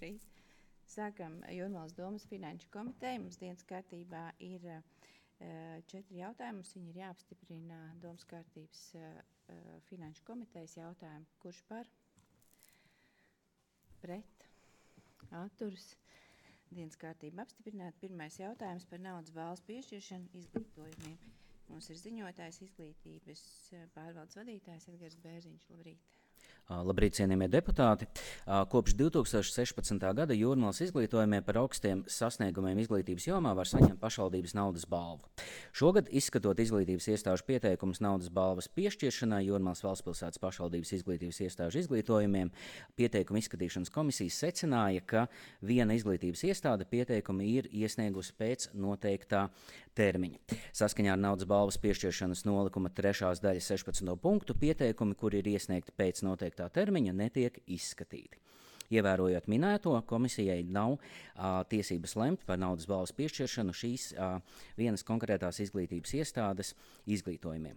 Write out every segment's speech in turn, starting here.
Labrīt. Sākam Jūrmalas domas finanšu komiteju. Mums dienas kārtībā ir 4 jautājumi. Mums viņi ir jāapstiprina domas kārtības finanšu komitejas jautājumi. Kurš par? Pret? Atturas? Dienas kārtība apstiprināta. Pirmais jautājums par naudas balvas piešķiršanu izglītojumiem. Mums ir ziņotājs izglītības pārvaldes vadītājs Edgars Bērziņš. Labrīt! Labrīt, cienījamie deputāti! Kopš 2016. gada Jūrmalas izglītojumiem par augstiem sasniegumiem izglītības jomā var saņemt pašvaldības naudas balvu. Šogad, izskatot izglītības iestāžu pieteikumus naudas balvas piešķiršanai Jūrmalas Valstspilsētas pašvaldības izglītības iestāžu izglītojumiem, pieteikumu izskatīšanas komisijas secināja, ka viena izglītības iestāde pieteikumi ir iesniegusi pēc noteiktā termiņa. Saskaņā ar naudas balvas piešķiršanas nolikuma 3. daļas 16. punktu pieteikumi, kuri ir iesniegti pēc noteiktā termiņa, netiek izskatīti. Ievērojot minēto, komisijai nav tiesības lemt par naudas balvas piešķiršanu šīs vienas konkrētās izglītības iestādes izglītojumiem.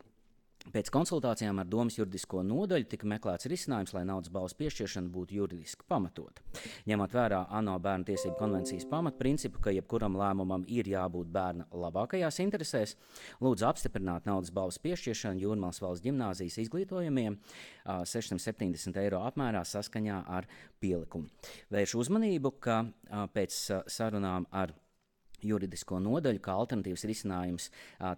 Pēc konsultācijām ar domas juridisko nodaļu tika meklēts risinājums, lai naudas balvas piešķiršana būtu juridiski pamatota. Ņemot vērā ANO bērnu tiesību konvencijas pamatprincipu, ka jebkuram lēmumam ir jābūt bērna labākajās interesēs, lūdzu apstiprināt naudas balvas piešķiršanu Jūrmalas valsts ģimnāzijas izglītojumiem 670 eiro apmērā saskaņā ar pielikumu. Vēršu uzmanību, ka pēc sarunām ar juridisko nodaļu, kā alternatīvs risinājums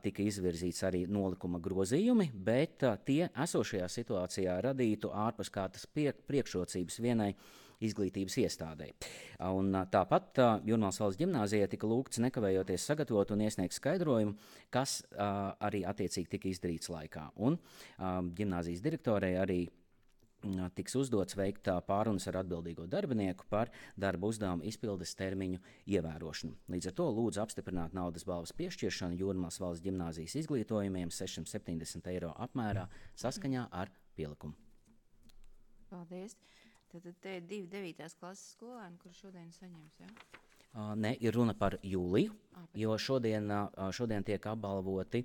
tika izvirzīts arī nolikuma grozījumi, bet tie esošajā situācijā radītu ārpuskārtas priekšrocības vienai izglītības iestādei. Un tāpat Jūrmalas valsts ģimnāzijai tika lūgts nekavējoties sagatavot un iesniegt skaidrojumu, kas arī attiecīgi tika izdarīts laikā. Un ģimnāzijas direktorei arī tiks uzdots veikt pārunas ar atbildīgo darbinieku par darba uzdevumu izpildes termiņu ievērošanu. Līdz ar to lūdzu apstiprināt naudas balvas piešķiršanu Jūrmalas valsts ģimnāzijas izglītojumiem 670 eiro apmērā saskaņā ar pielikumu. Paldies. Tad te ir 2 9. klases skolēni, kur šodien saņems, ja? Ne, ir runa par jūliju, jo šodien tiek apbalvoti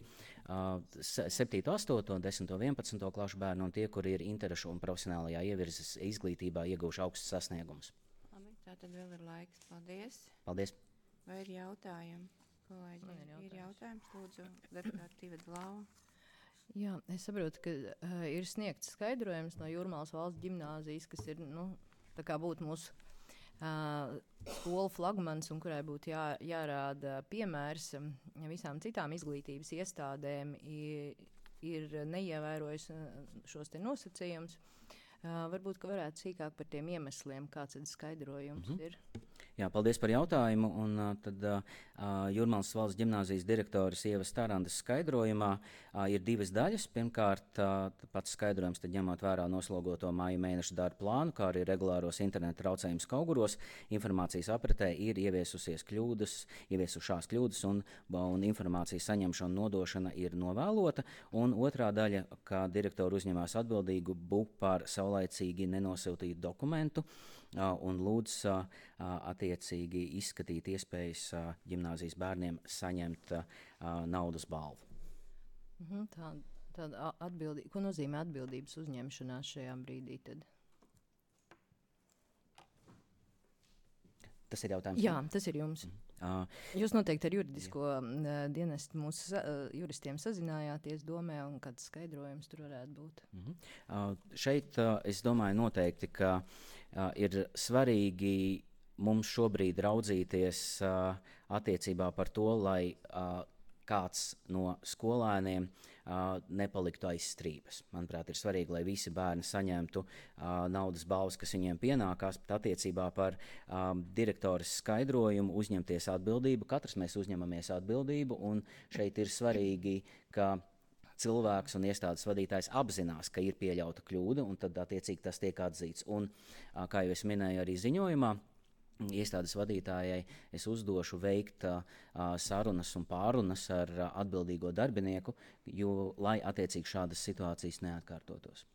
7, 8, 10, 11 klašu bērni un tie, kuri ir interešu un profesionālajā ievirzes izglītībā ieguvuši augstus sasniegumus. Labi, tā tad vēl ir laiks. Paldies. Paldies. Vai ir jautājumi? Kolēģi, ir jautājums? Lūdzu, deputāti Tiveta Lava. Jā, es saprotu, ka ir sniegts skaidrojums no Jūrmalas valsts ģimnāzijas, kas ir, tā kā būtu mūsu skolu flagmans un kurai būtu jārāda piemērs visām citām izglītības iestādēm ir neievērojusi šos te nosacījumus. Varbūt, ka varētu sīkāk par tiem iemesliem, kāds skaidrojums ir. Jā, paldies par jautājumu. Un tad Jūrmalas valsts ģimnāzijas direktoras Ievas Tarandas skaidrojumā ir 2 daļas. Pirmkārt, pats skaidrojums, tad ņemot vērā noslogoto māja mēneša darba plānu, kā arī regulāros interneta traucējumus Kauguros, informācijas apritē ir ieviesušās kļūdas un informācijas saņemšana un nodošana ir novēlota. Un otrā daļa, kā direktori uzņemās atbildību par saulaicīgi nenosūtītu dokumentu un lūdz attiecīgi izskatīt iespējas ģimnāzijas bērniem saņemt naudas balvu. Tāda atbildība, ko nozīmē atbildības uzņemšanās šajā brīdī tad? Tas ir jautājums? Jā, tas ir jums. Jūs noteikti ar juridisko dienestu mūsu juristiem sazinājāties domē, un kāds skaidrojums tur varētu būt? Šeit es domāju noteikti, ka ir svarīgi mums šobrīd raudzīties attiecībā par to, lai kāds no skolēniem nepaliktu aiz strīpas. Manuprāt, ir svarīgi, lai visi bērni saņemtu naudas balvas, kas viņiem pienākās, bet attiecībā par direktoras skaidrojumu uzņemties atbildību. Katrs mēs uzņemamies atbildību, un šeit ir svarīgi, ka cilvēks un iestādes vadītājs apzinās, ka ir pieļauta kļūda, un tad attiecīgi tas tiek atzīts. Un, kā jau es minēju arī ziņojumā, iestādes vadītājai es uzdošu veikt sarunas un pārunas ar atbildīgo darbinieku, lai attiecīgi šādas situācijas neatkārtotos.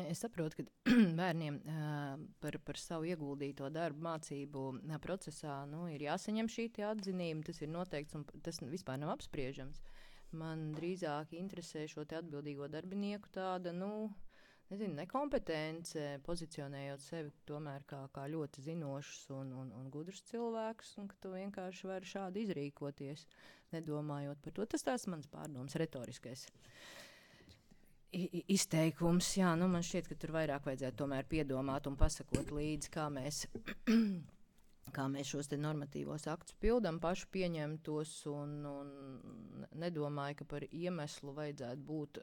Es saprotu, ka bērniem par savu ieguldīto darbu mācību procesā ir jāsaņem šī atzinība, tas ir noteikts un tas vispār nav apspriežams. Man drīzāk interesē šo te atbildīgo darbinieku tāda, nekompetence, pozicionējot sevi tomēr kā ļoti zinošs un gudrs cilvēks, un ka tu vienkārši vari šādi izrīkoties, nedomājot par to. Tas tās mans pārdoms, retoriskais izteikums. Jā, man šķiet, ka tur vairāk vajadzētu tomēr piedomāt un pasakot līdzi, kā mēs šos te normatīvos aktus pildam, paši pieņemtos un nedomāju, ka par iemeslu vajadzētu būt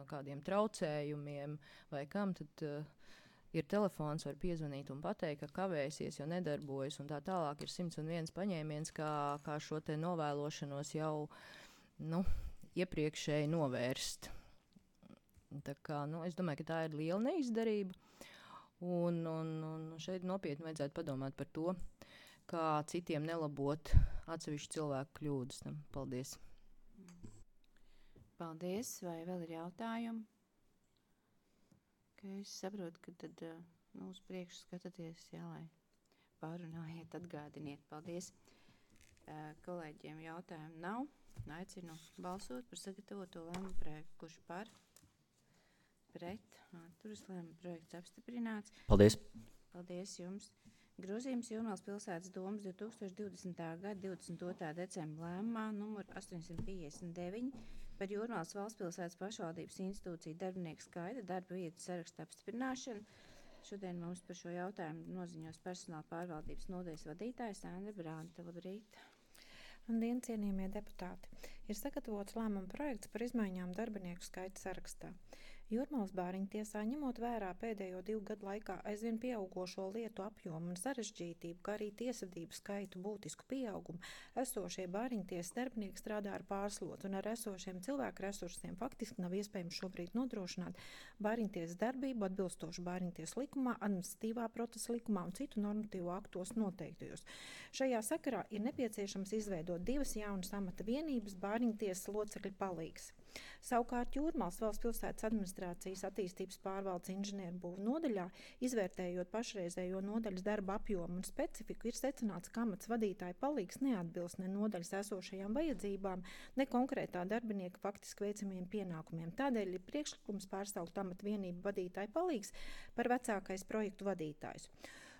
kādiem traucējumiem vai kam, tad ir telefons, var piezvanīt un pateikt, ka kavēsies, jo nedarbojas, un tā tālāk ir 101 paņēmiens, kā šo te novēlošanos jau, iepriekšēji novērst. Tā kā, es domāju, ka tā ir liela neizdarība, un šeit nopietni vajadzētu padomāt par to, kā citiem nelabot atsevišķu cilvēku kļūdas. Paldies. Paldies. Vai vēl ir jautājumi? Es saprotu, ka tad uz priekšu skatāties, lai pārunājiet, atgādiniet. Paldies. Kolēģiem jautājumu nav. Aicinu balsot par sagatavoto lēmumu projektu. Kurš par? Pret. Atturas. Lēmuma projekts apstiprināts. Paldies. Paldies jums. Grozījums Jūrmālas pilsētas domas 2020. gada 22. decembra lēmumā numur 859 par Jūrmālas valstspilsētas pašvaldības institūciju darbinieku skaita darba vietu saraksta apstiprināšanu. Šodien mums par šo jautājumu noziņos personāla pārvaldības nodaļas vadītājs Andra Branta. Labrīt! Labdien, cienījamie deputāti! Ir sagatavots lēmuma projekts par izmaiņām darbinieku skaita sarakstā. Jūrmālas bāriņtiesā, ņemot vērā pēdējo 2 gadu laikā aizvien pieaugošo lietu apjomu un sarežģītību, kā arī tiesvedību skaitu būtisku pieaugumu, esošie bāriņtiesas darbinieki strādā ar pārslotu un ar esošiem cilvēku resursiem faktiski nav iespējams šobrīd nodrošināt bāriņtiesas darbību atbilstoši bāriņtiesas likumā, administratīvā procesa likumā un citu normatīvu aktos noteiktajos. Šajā sakarā ir nepieciešams izveidot 2 jaunas amata vienības bāriņtiesas locekļu palīgs. Savukārt Jūrmālas valsts pilsētas administrācijas attīstības pārvaldes inženierbūvu nodaļā, izvērtējot pašreizējo nodaļas darba apjomu un specifiku, ir secināts, ka amats vadītāja palīgs neatbilst ne nodaļas esošajām vajadzībām, ne konkrētā darbinieka faktiski veicamiem pienākumiem. Tādēļ ir priekšlikums pārsaukt amata vienību vadītāja palīgs par vecākais projektu vadītājs.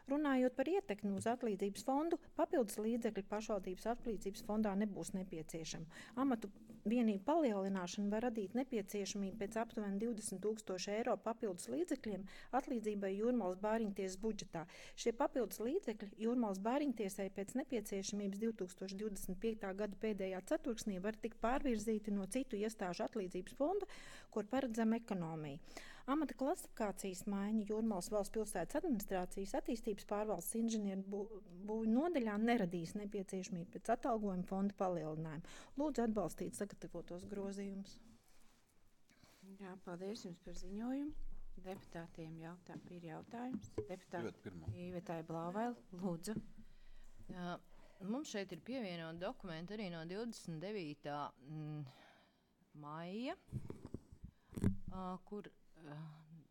Runājot par ietekmi uz atlīdzības fondu, papildus līdzekļi pašvaldības atlīdzības fondā nebūs nepieciešami. Amatu vienību palielināšana var radīt nepieciešamību pēc aptuveni 20 000 eiro papildus līdzekļiem atlīdzībai Jūrmālas bāriņtiesas budžetā. Šie papildus līdzekļi Jūrmālas bāriņtiesai pēc nepieciešamības 2025. gada pēdējā ceturksnī var tikt pārvirzīti no citu iestāžu atlīdzības fonda, kur paredzama ekonomija. Amata klasifikācijas maiņa Jūrmālas valsts pilsētas administrācijas attīstības pārvaldes inženierbūvu nodaļā neradīs nepieciešamību pēc atalgojuma fonda palielinājuma. Lūdzu atbalstīt sagatavotos grozījumus. Jā, paldies jums par ziņojumu. Deputātiem ir jautājums. Deputāti Ivetai Blauvail, lūdzu. Jā, mums šeit ir pievienot dokumenti arī no 29. maija, kur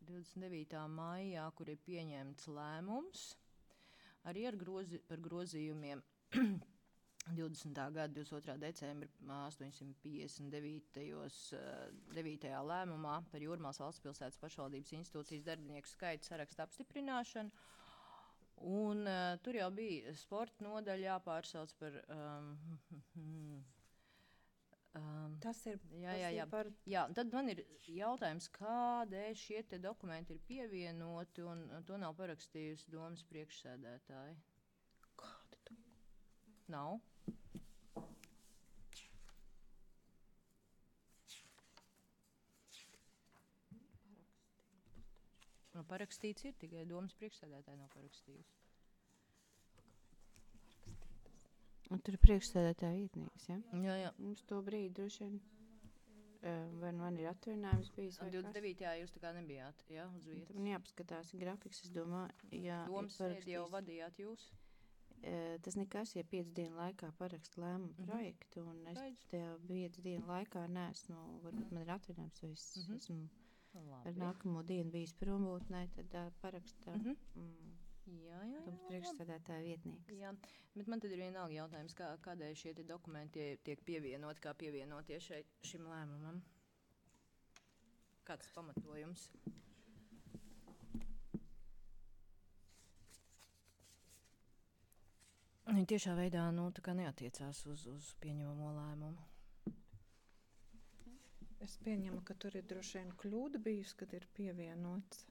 29. maijā, kur ir pieņemts lēmums, arī par grozījumiem 20. gada 22. decembra 859. 9. lēmumā par Jūrmālas valsts pilsētas pašvaldības institūcijas darbinieku skaitu sarakstu apstiprināšanu. Un tur jau bija sporta nodaļa jāpārsauc par... Tas ir par... Jā, tad man ir jautājums, kādēļ šie te dokumenti ir pievienoti, un to nav parakstījusi domas priekšsēdētāji. Kādi tu? Nav. Parakstīts ir, tikai domas priekšsēdētāji nav parakstījusi. Un tur ir priekšsēdētāja vietnieks, ja? Jā. Mums to brīdi droši vien, vai man ir atvainājums bijis? 29. jūs tā kā nebijāt, jā, uz vietas. Man jāpaskatās grafiks, es domāju, jā. Domas sēdi jau vadījāt jūs? Tas nekas, ja 5 dienu laikā parakst lēmumu projektu, un es tajā 5 dienu laikā neesmu, varbūt man ir atvainājums, vai es esmu ar nākamo dienu bijis prombūtnē, tad parakstā. Jā. Priekšsēdētāja vietnieks. Jā, bet man tad ir vienalga jautājums, kādēļ šie dokumenti tiek pievienoti, kā pievienotie šim lēmumam? Kāds pamatojums? Viņi tiešā veidā tā kā neatiecās uz pieņemamo lēmumu. Es pieņemu, ka tur ir droši vien kļūda bijusi, kad ir pievienots.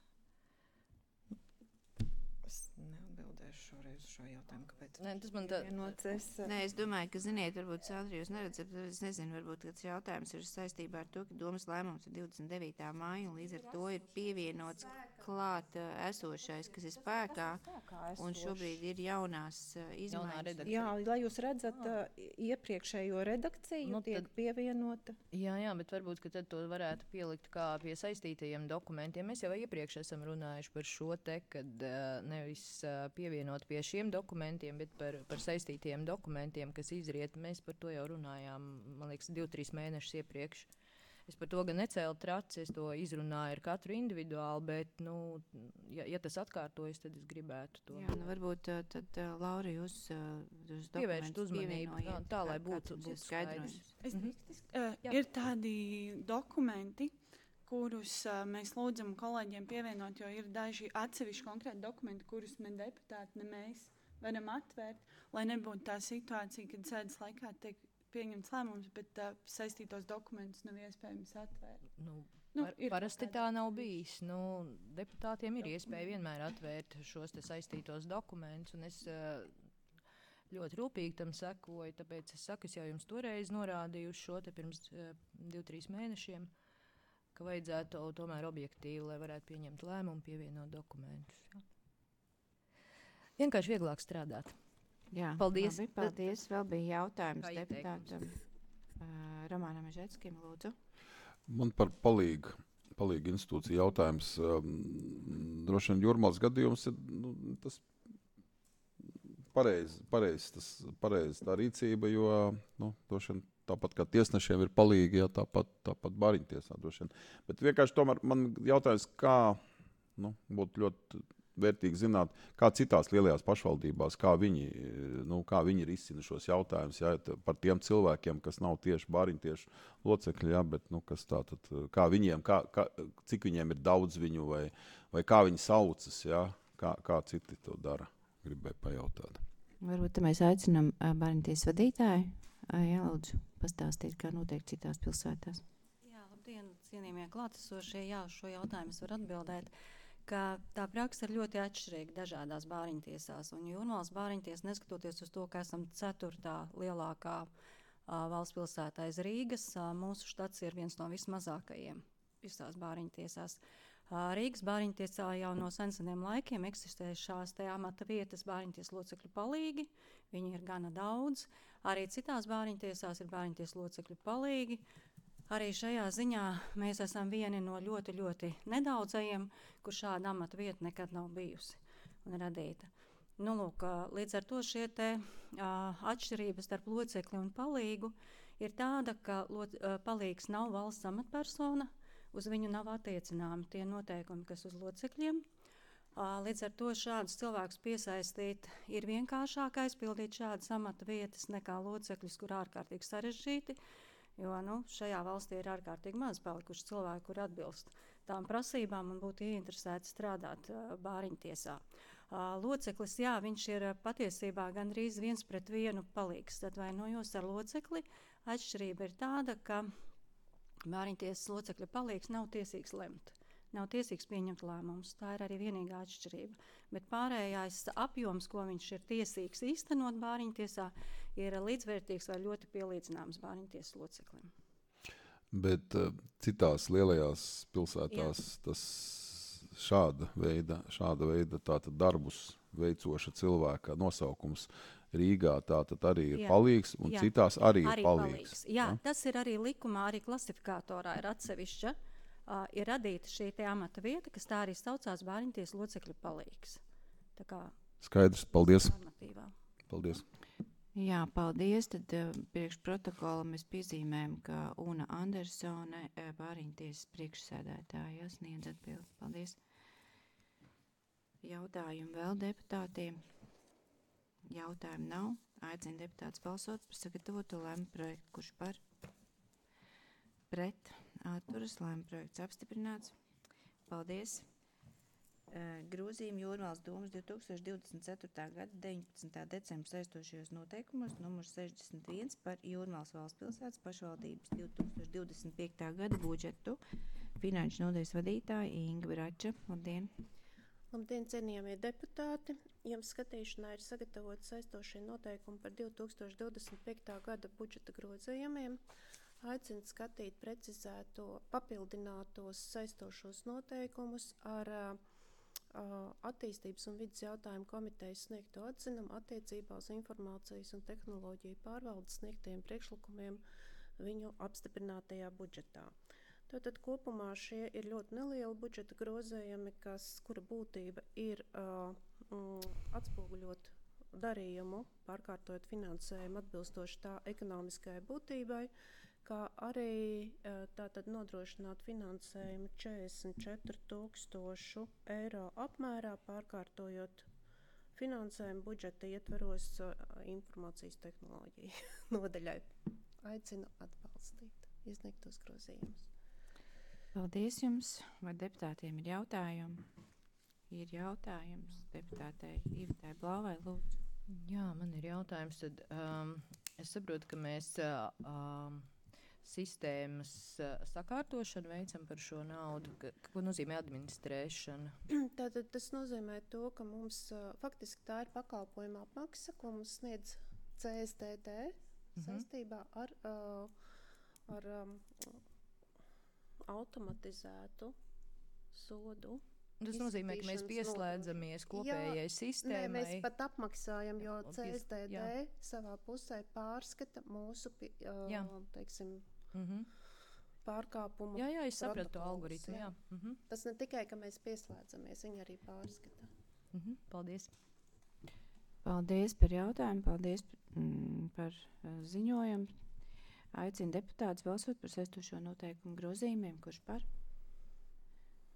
Es neatbildēšu šoreiz uz šo jautājumu, kāpēc Nē, tas man tā... pievienots. Nē, es domāju, ka, ziniet, varbūt Sandra jūs neredzat, bet es nezinu, varbūt tas jautājums ir saistībā ar to, ka domas lēmums ir 29. māja, un līdz ar to ir pievienots klāt esošais, kas ir spēkā, un šobrīd ir jaunās izmaiņas. redakcija. Jā, lai jūs redzat iepriekšējo redakciju, tiek pievienota. Jā, bet varbūt, ka tad to varētu pielikt kā pie saistītajiem dokumentiem. Mēs jau iepriekš esam runājuši par šo te, kad nevis pievienot pie šiem dokumentiem, bet par saistītajiem dokumentiem, kas izriet. Mēs par to jau runājām, man liekas, 2-3 mēnešus iepriekš. Es par to gan necēlu traci, es to izrunāju ar katru individuāli, bet, ja tas atkārtojas, tad es gribētu to. Jā, varbūt tad, Laura, jūs pievēršat uzmanību, tā, lai būtu skaidrojums. Ir tādi dokumenti, kurus mēs lūdzam kolēģiem pievienot, jo ir daži atsevišķi konkrēti dokumenti, kurus ne deputāti, ne mēs varam atvērt, lai nebūtu tā situācija, kad sēdes laikā tiek pieņemts lēmums, bet saistītos dokumentus nav iespējams atvērt. Parasti tā nav bijis. Deputātiem ir iespēja vienmēr atvērt šos te saistītos dokumentus, un es ļoti rūpīgi tam sekoju, tāpēc es saku, es jau jums toreiz norādīju uz šo te pirms 2-3 mēnešiem, ka vajadzētu tomēr objektīvi, lai varētu pieņemt lēmumu, pievienot dokumentus. Jā. Vienkārši vieglāk strādāt. Jā, paldies. Labi, paldies. Vēl bija jautājums Kā deputātam Romanam Mežetskim, lūdzu. Man par palīgu institūciju jautājums. Droši vien Jūrmalas gadījums ir tas pareizi tā rīcība, jo droši vien tāpat kā tiesnešiem ir palīgi, ja tāpat bāriņtiesā droši vien. Bet vienkārši tomēr man jautājums, kā būtu ļoti vērtīgi zināt, kā citās lielajās pašvaldībās, kā viņi risina šos jautājumus, par tiem cilvēkiem, kas nav tieši bāriņtiešu locekļi, bet kas tātad, kā viņiem, cik viņiem ir daudz viņu, vai kā viņi saucas, kā citi to dara, gribēju pajautāt. Varbūt te mēs aicinām bāriņtiesas vadītāju, lūdzu, pastāstīt, kā notiek citās pilsētās. Jā, labdien, cienījamie klātesošie, šo jautājumu es varu atbildēt, ka tā praksa ir ļoti atšķirīga dažādās bāriņtiesās. Un Jūrmalas bāriņtiesa, neskatoties uz to, ka esam 4. lielākā valsts pilsētā aiz Rīgas, mūsu štats ir viens no vismazākajiem visās bāriņtiesās. Rīgas bāriņtiesā jau no seniem laikiem eksistē šās te amata vietas bāriņties locekļu palīgi. Viņi ir gana daudz. Arī citās bāriņtiesās ir bāriņties locekļu palīgi. Arī šajā ziņā mēs esam vieni no ļoti, ļoti nedaudzajiem, kur šāda amata vieta nekad nav bijusi un radīta. Līdz ar to šie te atšķirības starp locekli un palīgu ir tāda, ka palīgs nav valsts amatpersona, uz viņu nav attiecināmi tie noteikumi, kas uz locekļiem. Līdz ar to šādus cilvēkus piesaistīt ir vienkāršāk aizpildīt šādas amata vietas nekā locekļus, kur ārkārtīgi sarežģīti. Jo šajā valstī ir ārkārtīgi maz palikuši cilvēki, kur atbilst tām prasībām un būtu ieinteresēti strādāt bāriņtiesā. Loceklis, viņš ir patiesībā gandrīz 1:1 palīgs. Atvainojos ar locekli. Atšķirība ir tāda, ka bāriņtiesas locekļa palīgs nav tiesīgs lemt. Nav tiesīgs pieņemt lēmumus. Tā ir arī vienīgā atšķirība. Bet pārējais apjoms, ko viņš ir tiesīgs īstenot bāriņtiesā, ir līdzvērtīgs vai ļoti pielīdzināms bāriņtiesas loceklim. Bet citās lielajās pilsētās tas šāda veida tātad darbus veicoša cilvēka nosaukums Rīgā tātad arī ir palīgs un citās arī ir palīgs. Jā, tas ir arī likumā, arī klasifikātorā ir atsevišķa. Ir radīta šī te amata vieta, kas tā arī saucās bāriņtiesas locekļu palīgs. Tā kā skaidrs, paldies. Normatīvā. Paldies. Jā, paldies. Tad priekš protokola mēs piezīmējam, ka Una Andersone, bāriņtiesas priekšsēdētāja, sniedz atbildi. Paldies. Jautājumu vēl deputātiem. Jautājumu nav. Aicinu deputātus balsot par sagatavoto lēmumu projektu. Kurš par? Pret. Atturas. Lēmuma projekts apstiprināts. Paldies. Grozījumi Jūrmālas domas 2024. gada 19. decembra saistošajos noteikumos numurs 61 par Jūrmālas valsts pilsētas pašvaldības 2025. gada budžetu. Finanšu nodaļas vadītāja Inga Brača. Labdien! Labdien, cienījamie deputāti! Jums skatīšanā ir sagatavoti saistošie noteikumi par 2025. gada budžeta grozījumiem. Aicinu skatīt precizēto, papildinātos saistošos noteikumus ar attīstības un vidas jautājumu komitejas sniegto atzinumu attiecībā uz informācijas un tehnoloģiju pārvaldes sniegtiem priekšlikumiem viņu apstiprinātajā budžetā. Tātad kopumā šie ir ļoti nelieli budžeta grozējumi, kura būtība ir atspoguļot darījumu, pārkārtojot finansējumu atbilstoši tā ekonomiskajai būtībai, kā arī tātad nodrošināt finansējumu 44,000 eiro apmērā, pārkārtojot finansējumu budžeta ietveros informācijas tehnoloģiju nodaļai. Aicinu atbalstīt iesniegtos grozījumus. Paldies jums! Vai deputātiem ir jautājumi? Ir jautājums deputātei Ivetai Blāvai, lūdzu. Jā, man ir jautājums. Tad, es saprotu, ka mēs sistēmas sakārtošanu veicam par šo naudu. Ko nozīmē administrēšana? Tātad tas nozīmē to, ka mums faktiski tā ir pakalpojuma apmaksa, ko mums sniedz CSDD saistībā ar automatizētu sodu. Tas nozīmē, ka mēs pieslēdzamies kopējai sistēmai. Nē, mēs pat apmaksājam, jo CSDD savā pusē pārskata mūsu, teiksim, pārkāpumu. Jā, es sapratu to algoritmu. Jā. Tas ne tikai, ka mēs pieslēdzamies, viņi arī pārskata. Paldies. Paldies par jautājumu, paldies par ziņojumu. Aicinu deputātus balsot par saistošo noteikumu grozījumiem, kurš par,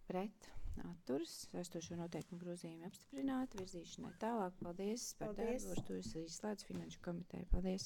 pret, atturas, saistošo noteikumu grozījumu apstiprināti, virzīšanai tālāk. Paldies par darbu, ar to es izslēdzu finanšu komiteju. Paldies!